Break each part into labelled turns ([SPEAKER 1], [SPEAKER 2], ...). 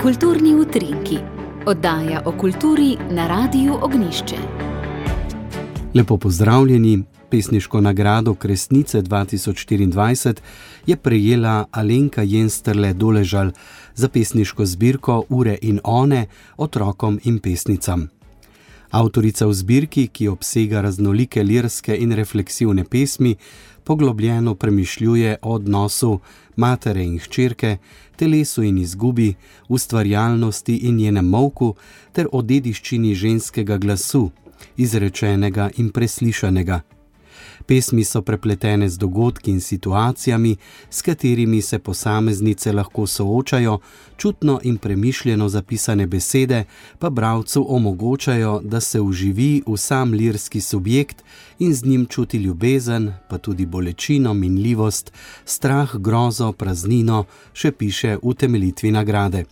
[SPEAKER 1] Kulturni utrinki, oddaja o kulturi na Radiu Ognjišče.
[SPEAKER 2] Lepo pozdravljeni. Pesniško nagrado Kresnice 2024 je prejela Alenka Jensterle Doležal za pesniško zbirko Ure in one otrokom in pesnicam. Avtorica v zbirki, ki obsega raznolike lirske in refleksivne pesmi, poglobljeno premišljuje o odnosu matere in hčerke, telesu in izgubi, ustvarjalnosti in njenem molku ter o dediščini ženskega glasu, izrečenega in preslišanega. Pesmi so prepletene z dogodki in situacijami, s katerimi se posameznice lahko soočajo, čutno in premišljeno zapisane besede pa bralcu omogočajo, da se vživi v sam lirski subjekt in z njim čuti ljubezen, pa tudi bolečino, minljivost, strah, grozo, praznino, še piše v utemeljitvi nagrade.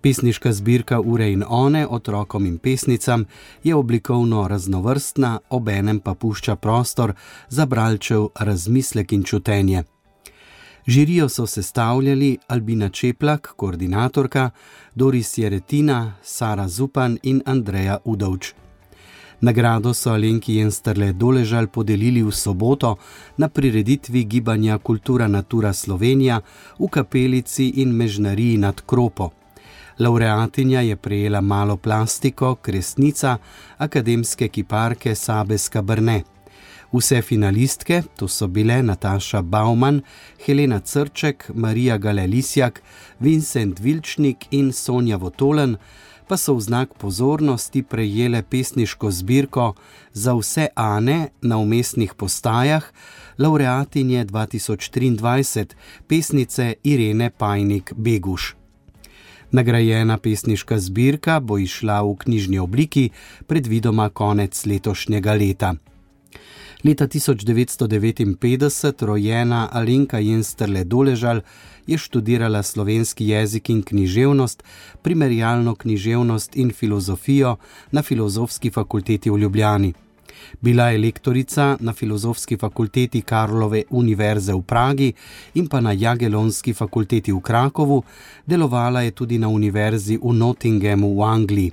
[SPEAKER 2] Pesniška zbirka Ure in one otrokom in pesnicam je oblikovno raznovrstna, obenem pa pušča prostor za bralčev razmislek in čutenje. Žirijo so sestavljali Albina Čeplak, koordinatorka, Doris Jeretina, Sara Zupan in Andreja Udovč. Nagrado so Alenki Jensterle Doležal podelili v soboto na prireditvi gibanja Kultura Natura Slovenija v kapelici in mežnariji nad Kropo. Lavreatinja je prejela malo plastiko Kresnica akademske kiparke Sabe Skabrne. Vse finalistke, to so bile Nataša Bauman, Helena Crček, Marija Gale-Lisjak, Vincent Vilčnik in Sonja Votolen, pa so v znak pozornosti prejele pesniško zbirko Za vse Ane na vmesnih postajah lavreatinje 2023, pesnice Irene Pajnik-Beguš. Nagrajena pesniška zbirka bo izšla v knjižni obliki predvidoma konec letošnjega leta. Leta 1959 rojena Alenka Jensterle Doležal je študirala slovenski jezik in književnost, primerjalno književnost in filozofijo na Filozofski fakulteti v Ljubljani. Bila je lektorica na Filozofski fakulteti Karlove univerze v Pragi in pa na Jagelonski fakulteti v Krakovu, delovala je tudi na univerzi v Nottinghamu v Angliji.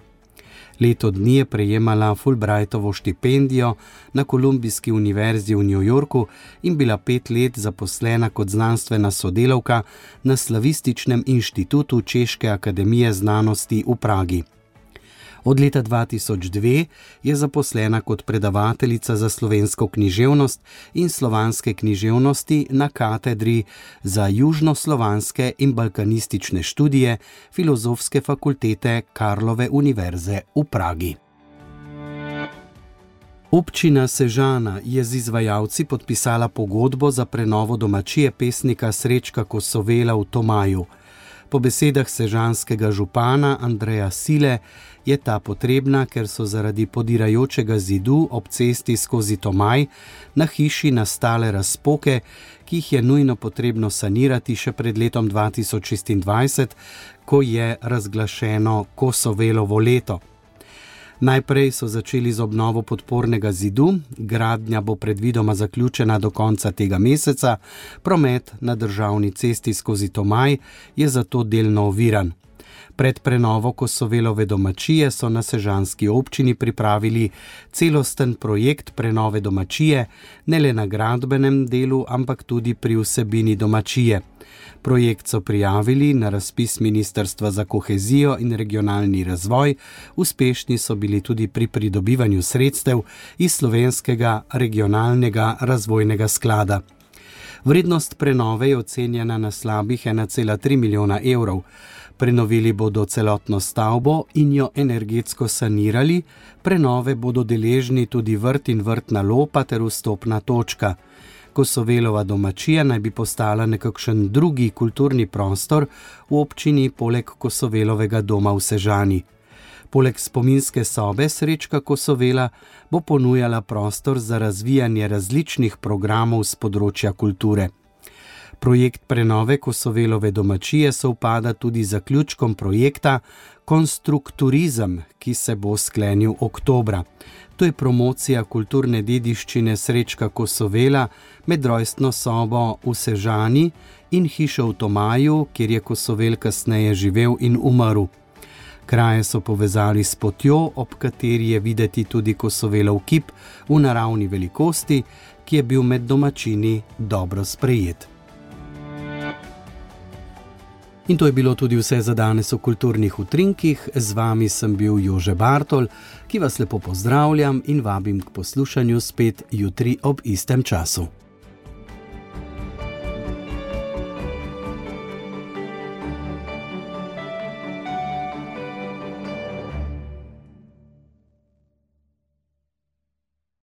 [SPEAKER 2] Leto dni je prejemala Fulbrightovo štipendijo na Kolumbijski univerzi v New Yorku in bila 5 let zaposlena kot znanstvena sodelavka na Slavističnem inštitutu Češke akademije znanosti v Pragi. Od leta 2002 je zaposlena kot predavateljica za slovensko književnost in slovanske književnosti na katedri za južnoslovanske in balkanistične študije Filozofske fakultete Karlove univerze v Pragi. Občina Sežana je z izvajalci podpisala pogodbo za prenovo domačije pesnika Srečka Kosovela v Tomaju. Po besedah sežanskega župana Andreja Sile je ta potrebna, ker so zaradi podirajočega zidu ob cesti skozi Tomaj na hiši nastale razpoke, ki jih je nujno potrebno sanirati še pred letom 2026, ko je razglašeno Kosovelovo leto. Najprej so začeli z obnovo podpornega zidu, gradnja bo predvidoma zaključena do konca tega meseca, promet na državni cesti skozi Tomaj je zato delno oviran. Pred prenovo Kosovelove domačije so na sežanski občini pripravili celosten projekt prenove domačije, ne le na gradbenem delu, ampak tudi pri vsebini domačije. Projekt so prijavili na razpis Ministrstva za kohezijo in regionalni razvoj, uspešni so bili tudi pri pridobivanju sredstev iz Slovenskega regionalnega razvojnega sklada. Vrednost prenove je ocenjena na slabih 1,3 milijona evrov. Prenovili bodo celotno stavbo in jo energetsko sanirali, prenove bodo deležni tudi vrt in vrtna lopa ter vstopna točka. Kosovelova domačija naj bi postala nekakšen drugi kulturni prostor v občini poleg Kosovelovega doma v Sežani. Poleg spominske sobe Srečka Kosovela bo ponujala prostor za razvijanje različnih programov z področja kulture. Projekt prenove Kosovelove domačije sovpada tudi z zaključkom projekta Konstrukturizem, ki se bo sklenil oktobra. To je promocija kulturne dediščine Srečka Kosovela med rojstno sobo v Sežani in hišo v Tomaju, kjer je Kosovel kasneje živel in umrl. Kraje so povezali s potjo, ob kateri je videti tudi Kosovelov kip v naravni velikosti, ki je bil med domačini dobro sprejet. In to je bilo tudi vse za danes v Kulturnih utrinkih. Z vami sem bil Jože Bartol, ki vas lepo pozdravljam in vabim k poslušanju spet jutri ob istem času.